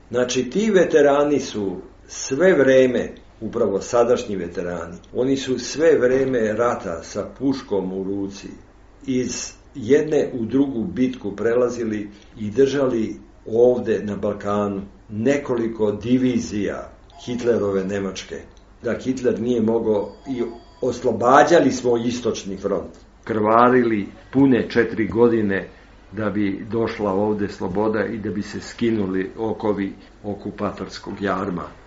Znači, ti veterani su sve vreme, upravo sadašnji veterani, oni su sve vreme rata sa puškom u ruci iz jedne u drugu bitku prelazili i držali ovde na Balkanu nekoliko divizija Hitlerove Nemačke. Da Hitler nije mogao i oslobađali smo istočni front. Krvarili pune 4 godine da bi došla ovde sloboda i da bi se skinuli okovi okupatorskog jarma.